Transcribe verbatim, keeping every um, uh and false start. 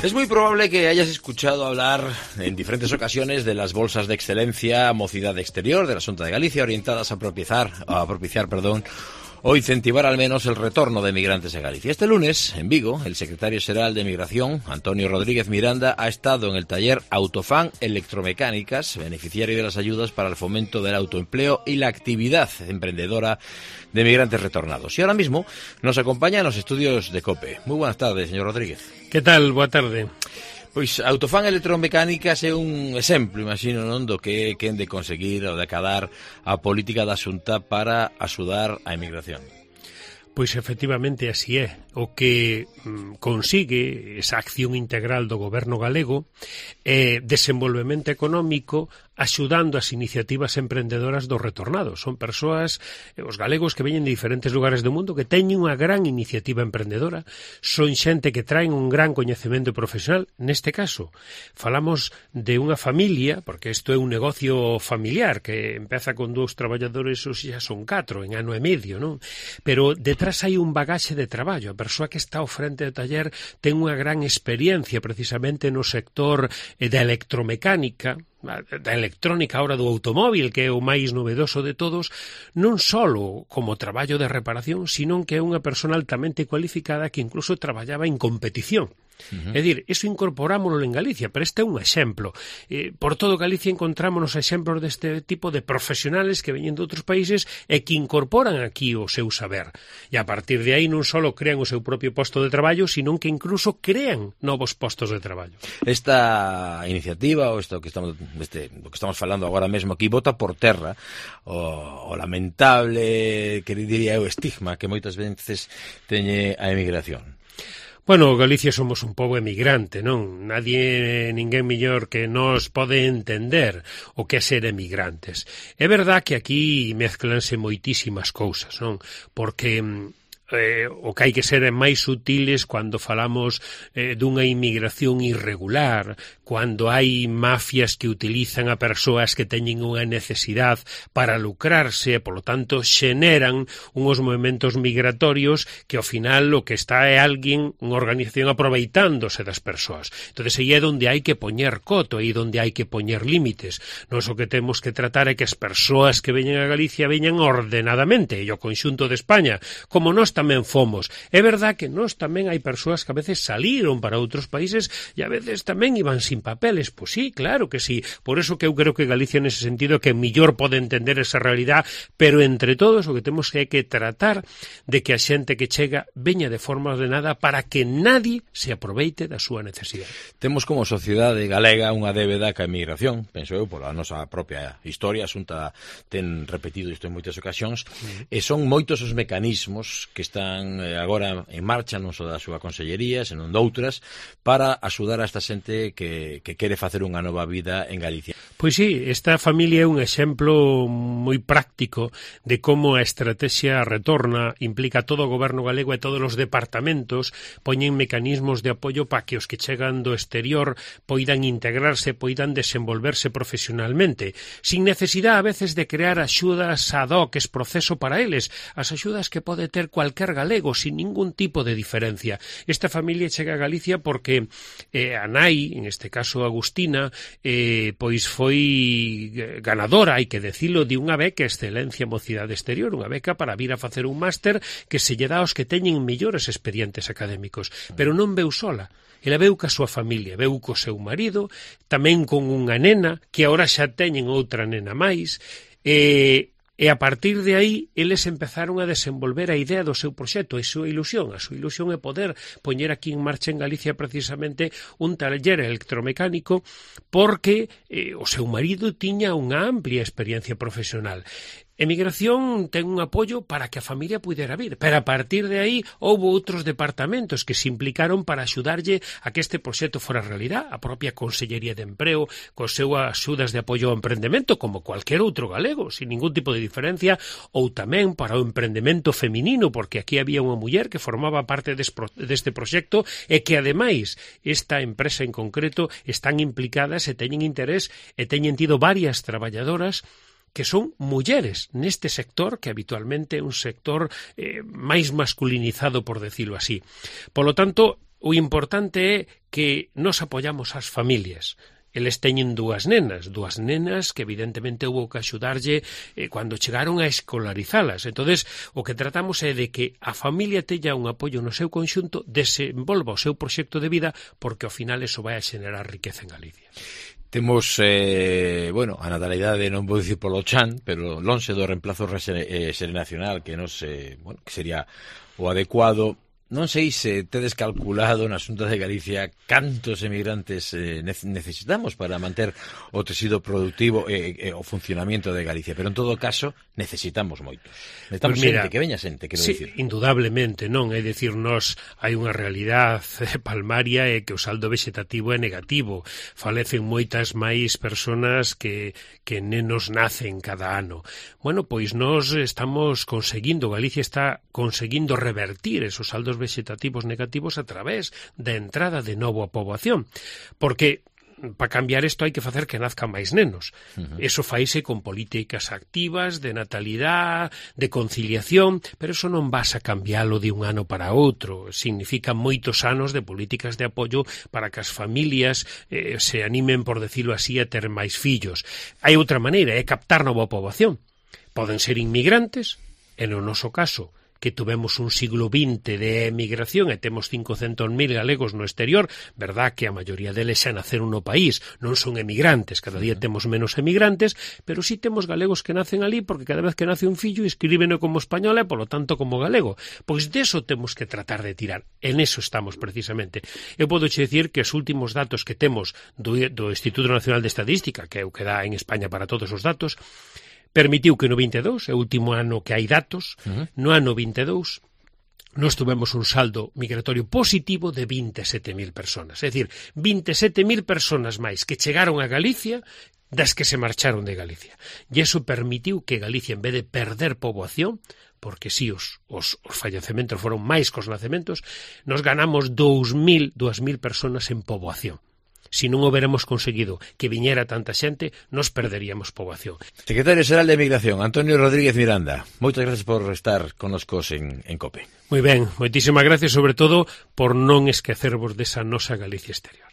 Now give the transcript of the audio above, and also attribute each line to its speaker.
Speaker 1: Es muy probable que hayas escuchado hablar en diferentes ocasiones de las bolsas de excelencia Mocidade Exterior de la Xunta de Galicia orientadas a propiciar, a propiciar, perdón, o incentivar al menos el retorno de migrantes a Galicia. Este lunes, en Vigo, el secretario xeral de Migración, Antonio Rodríguez Miranda, ha estado en el taller Autofan Electromecánicas, beneficiario de las ayudas para el fomento del autoempleo y la actividad emprendedora de migrantes retornados. Y ahora mismo nos acompaña en los estudios de COPE. Muy buenas tardes, señor Rodríguez.
Speaker 2: Que tal? Boa tarde.
Speaker 1: Pois Autofan Electromecánicas é un exemplo, imagino, non, do que quen de conseguir ou de acadar a política da Xunta para axudar a emigración.
Speaker 2: Pois efectivamente así é. O que mm, consigue esa acción integral do goberno galego é desenvolvemento económico axudando as iniciativas emprendedoras dos retornados. Son persoas, os galegos que veñen de diferentes lugares do mundo que teñen unha gran iniciativa emprendedora, son xente que traen un gran coñecemento profesional. Neste caso, falamos de unha familia, porque isto é un negocio familiar que empeza con dous traballadores, ou xa son catro, en ano e medio, non? Pero detrás hai un bagaxe de traballo. A persoa que está ao frente do taller ten unha gran experiencia precisamente no sector da electromecánica, da electrónica ahora do automóvil, que é o máis novedoso de todos, non só como traballo de reparación, sino que é unha persona altamente cualificada que incluso traballaba en competición. Uh-huh. É dicir, iso incorporámoslo en Galicia, pero este é un exemplo. Eh, por todo Galicia encontrámonos exemplos deste tipo de profesionales que veñen de outros países e que incorporan aquí o seu saber. E a partir de aí non só crean o seu propio posto de traballo, sino que incluso crean novos postos de traballo.
Speaker 1: Esta iniciativa, ou isto que estamos, este, do que estamos falando agora mesmo aquí, bota por terra o, o lamentable, que diría eu, estigma que moitas veces teñe a emigración.
Speaker 2: Bueno, Galicia somos un pobo emigrante, non? Nadie, ninguén mellor que nos pode entender o que é ser emigrantes. É verdad que aquí mezclanse moitísimas cousas, non? Porque eh, o que hai que ser é máis sutiles cando falamos eh, dunha inmigración irregular, cando hai mafias que utilizan a persoas que teñen unha necesidade para lucrarse e, polo tanto, xeneran uns movimentos migratorios que, ao final, o que está é alguén, unha organización aproveitándose das persoas. Entón, aí é onde hai que poñer coto, aí onde hai que poñer límites. Nos o que temos que tratar é que as persoas que veñen a Galicia veñan ordenadamente, e o conxunto de España, como nós tamén fomos. É verdad que nós tamén hai persoas que a veces saliron para outros países e a veces tamén iban sin papeles. Pois sí, claro que sí. Por eso que eu creo que Galicia nese sentido que mellor pode entender esa realidade, pero entre todos o que temos que é que tratar de que a xente que chega veña de forma ordenada para que nadie se aproveite da súa necesidade.
Speaker 1: Temos como sociedade galega unha débeda ca emigración, penso eu, pola nosa propia historia, a Xunta ten repetido isto en moitas ocasións, uh-huh. e son moitos os mecanismos que están agora en marcha, non só da súa consellería, senón doutras, para axudar a esta xente que que quere facer unha nova vida en Galicia.
Speaker 2: Pois sí, esta familia é un exemplo moi práctico de como a estrategia retorna implica todo o goberno galego e todos os departamentos poñen mecanismos de apoio para que os que chegan do exterior poidan integrarse, poidan desenvolverse profesionalmente, sin necesidade a veces de crear axudas ad hoc, es proceso para eles, as axudas que pode ter cualquier galego, sin ningún tipo de diferencia. Esta familia chega a Galicia porque eh, a nai, en este caso Agustina, eh, pois foi ganadora, hai que decilo, de unha beca Excelencia Mocidade Exterior, unha beca para vir a facer un máster que se lle dá aos que teñen mellores expedientes académicos, pero non veu sola. Ela veu ca súa familia, veu co seu marido, tamén con unha nena, que agora xa teñen outra nena máis, e... E a partir de aí, eles empezaron a desenvolver a idea do seu proxecto, a súa ilusión. A súa ilusión é poder poñer aquí en marcha en Galicia precisamente un taller electromecánico porque eh, o seu marido tiña unha amplia experiencia profesional. Emigración ten un apoio para que a familia pudera vir, pero a partir de aí houve outros departamentos que se implicaron para axudarlle a que este proxecto fora realidad. A propia Consellería de Empreo, cos seus axudas de apoio ao emprendemento, como cualquier outro galego, sin ningún tipo de diferencia, ou tamén para o emprendemento feminino, porque aquí había unha muller que formaba parte deste proxecto e que, ademais, esta empresa en concreto están implicadas e teñen interés e teñen tido varias traballadoras que son mulleres neste sector, que habitualmente é un sector eh, máis masculinizado, por decirlo así. Polo tanto, o importante é que nos apoyamos as familias. Eles teñen dúas nenas, dúas nenas que evidentemente houve que axudarlle eh, cando chegaron a escolarizalas. Entonces, o que tratamos é de que a familia teña un apoio no seu conxunto, desenvolva o seu proxecto de vida, porque ao final eso vai a xenerar riqueza en Galicia.
Speaker 1: Temos, eh, bueno, a natalidade non vou dicir polo chan, pero lonxe do reemplazo xeracional que nos, eh, bueno, que sería o adecuado. Non sei se tedes calculado na Xunta de Galicia cantos emigrantes eh, necesitamos para manter o tecido productivo e eh, eh, o funcionamento de Galicia, pero en todo caso necesitamos moitos. Necesitamos pues mira, xente, que veña xente, quero
Speaker 2: sí,
Speaker 1: dicir.
Speaker 2: Indudablemente, non, é dicir, nos hai unha realidade palmaria e que o saldo vegetativo é negativo. Falecen moitas máis persoas que, que nenos nacen cada ano. Bueno, pois nós estamos conseguindo, Galicia está conseguindo revertir esos saldos vegetativos negativos a través da entrada de novo a poboación, porque para cambiar isto hai que facer que nazcan máis nenos. Uh-huh. Eso faise con políticas activas de natalidade, de conciliación, pero eso non vas a cambiálo de un ano para outro. Significa moitos anos de políticas de apoio para que as familias eh, se animen, por decirlo así, a ter máis fillos. Hai outra maneira, é captar nova poboación. Poden ser inmigrantes, e no noso caso que tuvemos un siglo vinte de emigración e temos cincocentos mil galegos no exterior, verdad que a maioría deles xa naceron no país, non son emigrantes, cada día temos menos emigrantes, pero sí temos galegos que nacen ali porque cada vez que nace un fillo escríbeno como español e, polo tanto, como galego. Pois deso temos que tratar de tirar. En eso estamos precisamente. Eu podo che dicir que os últimos datos que temos do, do Instituto Nacional de Estadística, que é o que dá en España para todos os datos, permitiu que no vinte e dous, é o último ano que hai datos, uh-huh. no ano vinte e dous, nós tuvemos un saldo migratorio positivo de vinte e sete mil personas. É dicir, vinte e sete mil personas máis que chegaron a Galicia das que se marcharon de Galicia. E iso permitiu que Galicia, en vez de perder poboación, porque si os, os, os fallecementos foron máis que os nacementos, nos ganamos dous mil personas en poboación. Si non houberamos conseguido que viñera tanta xente, nos perderíamos poboación.
Speaker 1: Secretario Xeral de Migración, Antonio Rodríguez Miranda, moitas gracias por estar connoscos en, en COPE.
Speaker 2: Moi ben, moitísimas gracias, sobre todo, por non esquecervos desa nosa Galicia exterior.